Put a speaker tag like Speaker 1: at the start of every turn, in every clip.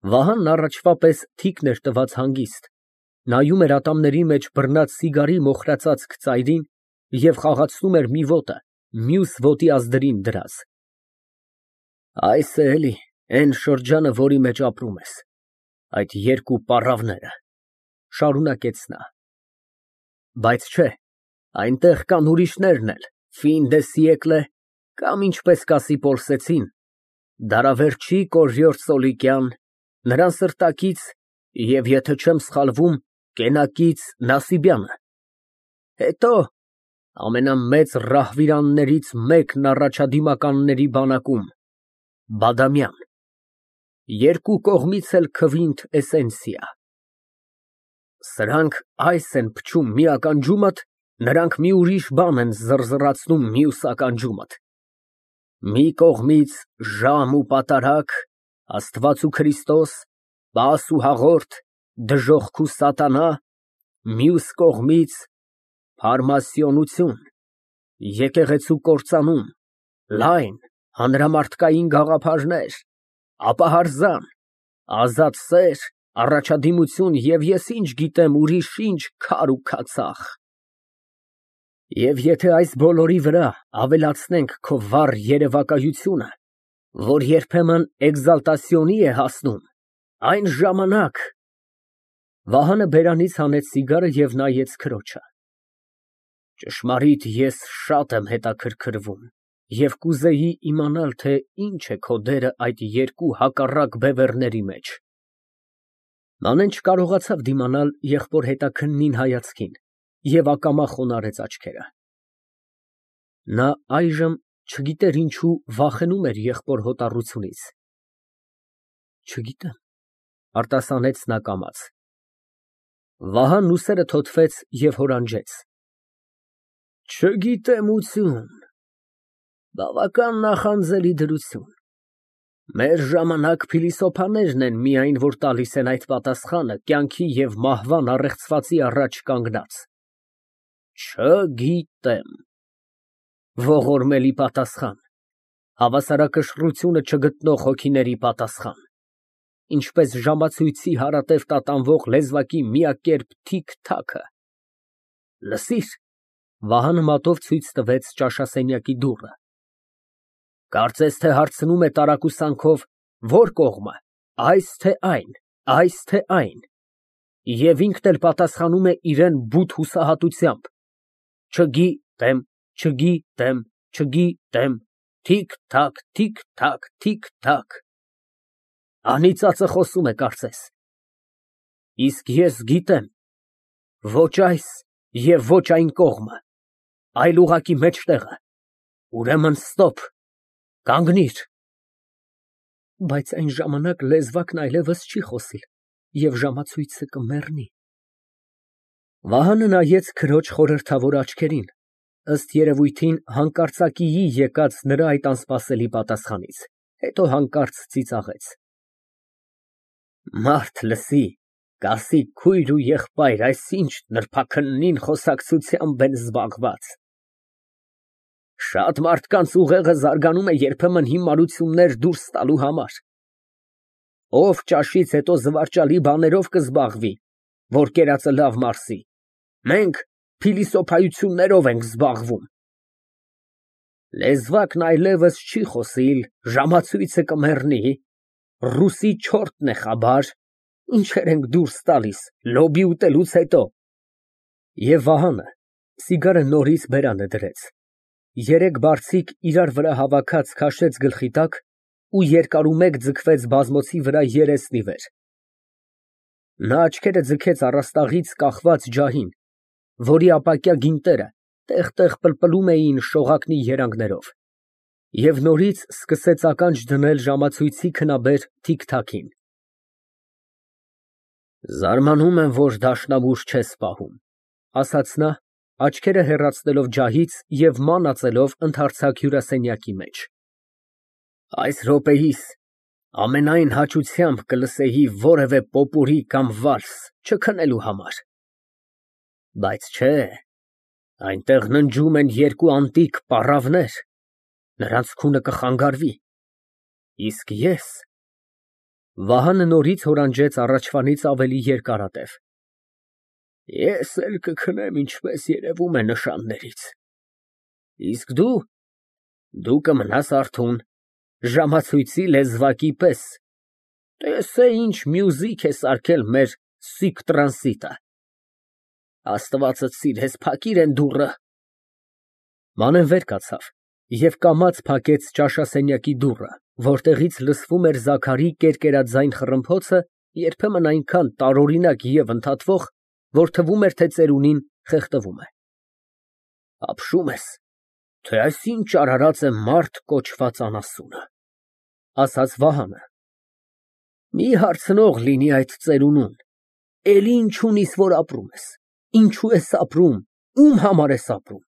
Speaker 1: Վահանն առաջվա պես թիկն էր տված հանգիստ, նայում էր ատամների մեջ բռնած սիգարի մոխրացած ծայրին և խաղացնում էր մի ոտը մյուս ոտի ազդրին դրած։ Այս է էլի էն շրջանը, որի մեջ ապրում ես, այդ երկու պառավները, շարունակեց նա, բայց չէ, այնտեղ կան ուրիշներն էլ, ֆին դե սիեկլե, կամ ինչպես կասի պոլսեցին, դարավերջի Կոռյոտ Սոլիկյան, նրան սրտակից և, եթե չեմ սխալվում, կենակից Նասիբյանը, հետո ամենամեծ ռահվիրաններից մեկն առաջադիմականների բանակում Բադամյան, երկու կողմից էլ քվինտ էսենսիա, սրանք այս են փչում մի ականջումդ, նրանք մի ուրիշ բան են զռզռացնում մյուս ականջումդ, մի կողմից ժամ ու պատարագ, Աստված ու Քրիստոս, պաս ու հաղորդ, դժոխք ու սատանա, մյուս կողմից փարմասյոնություն, եկեղեցու կործանում, լայն, հանրամարտկային գաղափարներ, ապահարզան, ազատ սեր, առաջադիմություն և ես ինչ գիտեմ ուրիշ ինչ քար ու քացախ։ Եվ եթե այս բոլորի վրա ավելացնենք քո վառ երևակայությունը, որ երբեմն էկզալտացիոնի է հասնում, այն ժամանակ… Վահանը բերանից հանեց սիգարը և նայեց քրոջը։ Ճշմարիտ, ես շատ եմ հետաքրքրվում և կուզեի իմանալ, թե ինչ է քո դերը այդ երկու հակառակ բևեռների մեջ։ Մանեն չկարողացավ դիմանալ եղբոր հետաքննին հայացքին և ակամա խոնարհեց աչքերը։ Նա այժմ չգիտեր ինչու վախենում էր եղբոր հոտառությունից։ Չգիտեմ, արտասանեց նա կամաց։ Վահանն ուսերը թոթվեց և հորանջեց. Չգիտեմություն, բավական նախանձելի դրություն, մեր ժամանակ փիլիսոփաներն են միայն, որ տալիս են այդ պատասխանը կյանքի և մահվան առեղծվածի առաջ կանգնած, չգիտեմ, ողորմելի պատասխան, հավասարակշռությունը չգտնող հոգիների պատասխան, ինչպես ժամացույցի հարատև տատանվող լեզվակի միակերպ թիք֊թաքը, լսիր… Վահանը մատով ցույց տվեց ճաշասենյակի դուռը։ Կարծես թե հարցնում է տարակուսանքով, որ կողմը, այս թե այն, և ինքն էլ պատասխանում է իրան բութ հուսահատությամբ. չգիտեմ, չգիտեմ, չգիտեմ, թիք֊թաք, թիք֊թաք, թիք֊թաք… Անիծածը խոսում է, կարծես։ Իսկ ես գիտեմ, ոչ այս և ոչ այն կողմը, այլ ուղղակի մեջտեղը, ուրեմն ստոպ, կանգնիր… Բայց այն ժամանակ լեզվակն այլևս չի խոսիլ և ժամացույցը կմեռնի… Վահանը նայեց քրոջ խորհրդավոր աչքերին, ըստ երևույթին հանկարծակիի եկած նրա այդ անսպասելի պատասխանից, հետո հանկարծ ծիծաղեց. Մարդ լսի, կասի քույր ու եղբայր, այսինչ նրբաքննին խոսակցությամբ են զբաղված… Շատ մարդկանց ուղեղը զարգանում է երբեմն հիմարություններ դուրս տալու համար… Ով ճաշից հետո զվարճալի բաներով կզբաղվի, որ կերածը լավ մարսի, մենք փիլիսոփայություններով ենք զբաղվում… Լեզվակն այլևս չի խոսիլ, ժամացույցը կմեռնի, ռուսի չորտն է Խաբար, ինչեր ենք դուրս տալիս լոբի ուտելուց հետո… Եվ Վահանը սիգարը նորից բերանը դրեց, երեք բարձիկ իրար վրա հավաքած քաշեց գլխի տակ ու երկարումեկ ձգվեց բազմոցի վրա երեսնի վեր… Նա աչքերը ձգեց առաստաղից կախված ջահին, որի ապակյա գինտերը տեղ֊տեղ պլպլում էին շողակնի երանգներով, և նորից սկսեց ականջ դնել ժամացույցի քնաբեր թիք֊թաքին… Զարմանում եմ, որ դաշնամուր չես պահում, ասաց նա, աչքերը հեռացնելով ջահից և մանածելով ընդարձակ հյուրասենյակի մեջ… Այս րոպեիս ամենայն հաճությամբ կլսեի որևէ պոպուրի կամ վալս չքնելու համար… Բայց չէ, այնտեղ ննջում են երկու անտիկ պառավներ, նրանց քունը կխանգարվի, իսկ ես… Վահանը նորից հորանջեց առաջվանից ավելի երկարատև։ Ես էլ կքնեմ, ինչպես երևում է նշաններից։ Իսկ դու կմնաս արթուն, ժամացույցի լեզվակի պես։ Տեսե ինչ մյուզիք է սարքել մեր սիկ տրանսիտը։ Աստվածդ սիրես, փակիր են դուռը։ Մանեն վեր կացավ և կամաց փակեց ճաշասենյակի դուռը, որտեղից լսվում էր Զաքարի կերկերաձայն խռմփոցը, երբեմն այնքան տարօրինակ և ընդհատվող, որ թվում էր, թե ծերունին խեղդվում է։ Ապշում ես, թե այս ինչ արարած է մարդ կոչված անասունը, ասաց Վահանը։ Մի հարցնող լինի այդ ծերունուն, էլի ինչ ունիս, որ ապրում ես, ինչու ես ապրում, ում համար ես ապրում,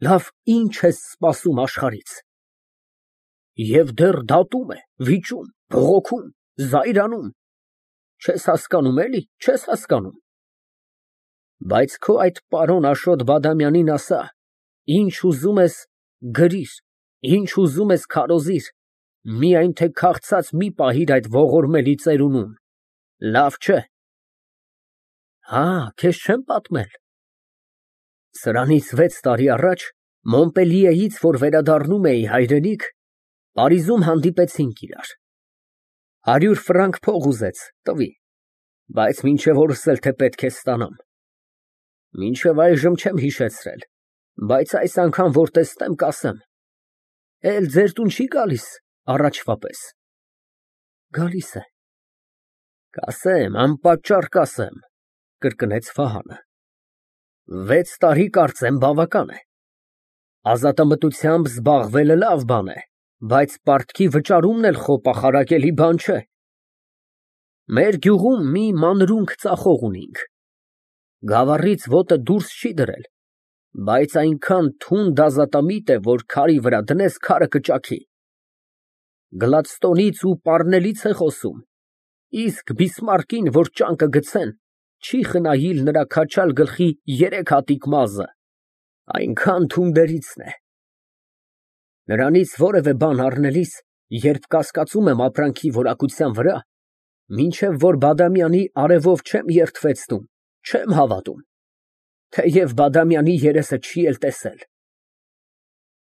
Speaker 1: լավ ինչ ես սպասում աշխարհից։ Եվ դեռ դատում է, վիճում, բողոքում, զայրանում, չես հասկանում, էլի, չես հասկանում։ Բայց քո այդ պարոն Աշոտ Բադամյանին ասա, ինչ ուզում ես գրիր, ինչ ուզում ես քարոզիր, միայն թե քաղցած մի պահիր այդ ողորմելի ծերունուն, լավ չէ։ Հա, քեզ չեմ պատմել։ Սրանից 6 տարի առաջ Մոնպելիեից, որ վերադառնում էի հայրենիք, Փարիզում հանդիպեցինք իրար։ 100 ֆրանկ փող ուզեց, տվի, բայց մինչև օրս էլ թե պետք է ստանամ։ Մինչև այժմ չեմ հիշեցրել, բայց այս անգամ որ տեսնեմ, կասեմ։ Էլ ձեր տուն չի գալիս առաջվա պես։ Գալիս է։ Կասեմ, անպատճառ կասեմ, կրկնեց Վահանը։ 6 տարի կարծեմ բավական է։ Ազատամտությամբ զբաղվելը լավ բան է, բայց պարտքի վճարումն էլ խոպախարակելի բան չէ։ Մեր գյուղում մի մանրունք ծախող ունինք։ Գավառից ոտը դուրս չի դրել, բայց այնքան թունդ ազատամիտ է, որ քարի վրա դնես, քարը կճաքի։ Գլադստոնից ու Պառնելից է խոսում, իսկ Բիսմարկին, որ ճանկը գցեն, չի խնայիլ նրա քաչալ գլխի 3 հատիկ մազը, այնքան թունդերիցն է։ Նրանից որևէ բան առնելիս, երբ կասկածում եմ ապրանքի որակության վրա, մինչև որ Բադամյանի արևով չեմ երդվեցնում, չեմ հավատում, թեև Բադամյանի երեսը չի էլ տեսել։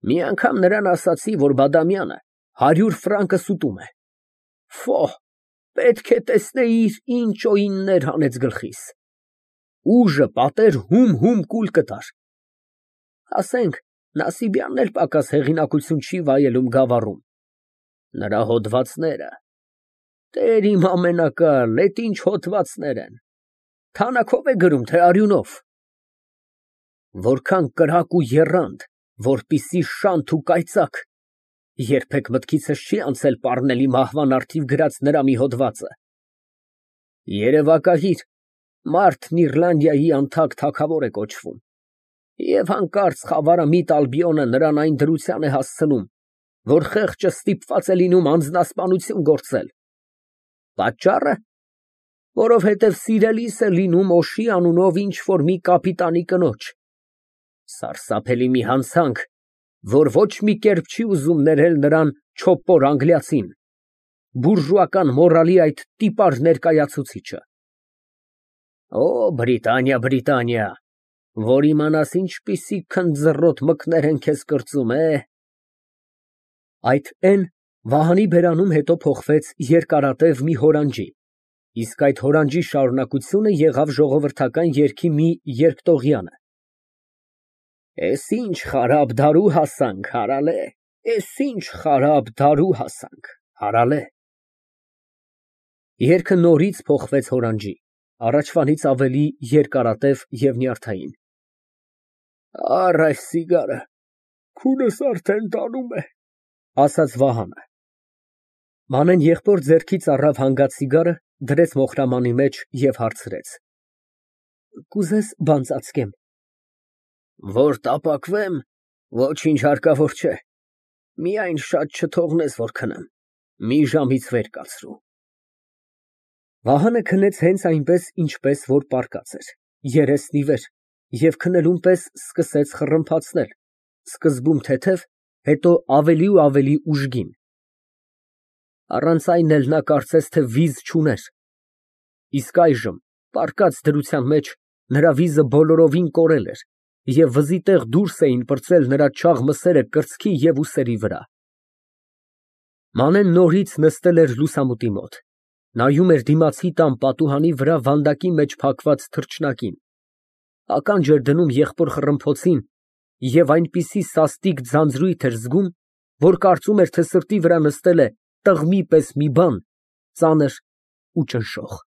Speaker 1: Մի անգամ նրան ասացի, որ Բադամյանը 100 ֆրանկս ուտում է։ Ֆո, պետք է տեսնեիր ինչ օիններ հանեց գլխիս։ Ուժը պատեր հում կուլ կտար։ Ասենք, Նասիբյանն էլ պակաս հեղինակություն չի վայելում գավառում։ Նրա հոդվածները, Տեր իմ ամենակալ, էդ ինչ հոդվածներ են, թանաքով է գրում, թե արյունով։ Որքան կրակ ու եռանդ, որպիսի շանթ ու կայծակ, երբեք մտքիցս չի անցել Պառնելի մահվան առթիվ գրած նրա մի հոդվածը։ Երևակայիր, մարդն Իռլանդիայի անթակ թագավոր է կոչվում, և հանկարծ խավարամիտ Ալբիոնը նրան այն դրության է հասցնում, որ խեղճը ստիպված է լինում անձնասպանություն գործել։ Պատճառը, որովհետև սիրելիս է լինում Օշի անունով ինչ֊որ մի կապիտանի կնոջ։ Սարսափելի մի հանցանք, որ ոչ մի կերպ չի ուզում ներել նրան չոպոր անգլիացին, բուրժուական մորալի այդ տիպար ներկայացուցիչը։ Օ, Բրիտանիա, որ իմանաս ինչպիսի քնձռոտ մկներ են քեզ կրծում, Այդ N Վահանի բերանում հետո փոխվեց երկարատև մի հորանջի, իսկ այդ հորանջի շարունակությունը եղավ ժողովրդական երգի մի երկտողյանը։ Էս ինչ խարաբ դարու հասանք, հարալե, էս ինչ խարաբ դարու հասանք, հարալե։ Երգը նորից փոխվեց հորանջի, առաջվանից ավելի երկարատև և նյարդային։ Առ այս սիգարը, քունս արդեն տանում է, ասաց Վահանը։ Մանեն եղբոր ձեռքից առավ հանգած սիգարը, դրեց մոխրամանի մեջ և հարցրեց. Կուզես բան ծածկեմ։ Որ տապակվեմ, ոչինչ հարկավոր չէ, միայն շատ չթողնես, որ քնեմ, մի ժամից վեր կացրու։ Վահանը քնեց հենց այնպես, ինչպես որ պառկած էր, երեսն ի վեր, և քնելուն պես սկսեց խռմփացնել, սկզբում թեթև, հետո ավելի ու ավելի ուժգին։ Առանց այն էլ նա կարծես թե վիզ չուներ։ Իսկ այժմ, պառկած դրության մեջ, նրա վիզը բոլորովին կորել էր, և վզի տեղ դուրս էին պրծել նրա չաղ մսերը կրծքի և ուսերի վրա։ Մանեն նորից նստել էր լուսամուտի մոտ, նայում էր դիմացի տան պատուհանի վրա վանդակի մեջ փակված թռչնակին, ականջ էր դնում եղբոր խռմփոցին և այնպիսի սաստիկ ձանձրույթ էր զգում, որ կարծում էր, թե սրտի վրա նստել է տղմի պես մի բան, ծանր ու ճնշող։